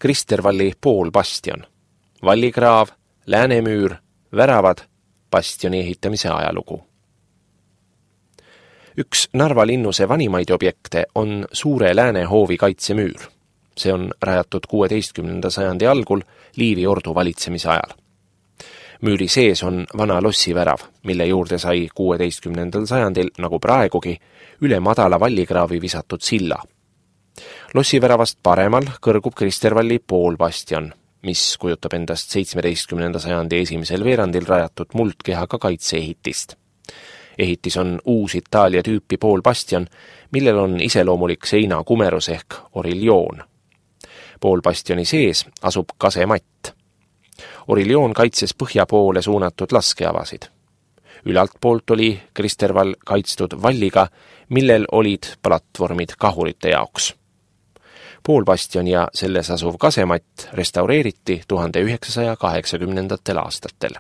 Kristervalli poolbastion, vallikraav, läänemüür, väravad, bastioni ehitamise ajalugu. Üks Narva linnuse vanimaid objekte on Suure Läänehoovi kaitsemüür. See on rajatud 16. sajandi algul Liivi ordu valitsemise ajal. Müüri sees on vana lossivärav, mille juurde sai 16. sajandil, nagu praegugi, üle madala vallikraavi visatud silla. Lossiväravast paremal kõrgub Kristervalli poolbastion, mis kujutab endast 17. sajandi esimesel veerandil rajatud muldkehaga kaitseehitist. Ehitis on uus Itaalia tüüpi poolbastion, millel on iseloomulik seinakumerus ehk oriljoon. Poolbastioni sees asub kasematt. Oriljoon kaitses põhja poole suunatud laskeavasid. Ülalt poolt oli Kristervall kaitstud valliga, millel olid platvormid kahurite jaoks. Poolbastion ja selles asuv kasematt restaureeriti 1980. aastatel.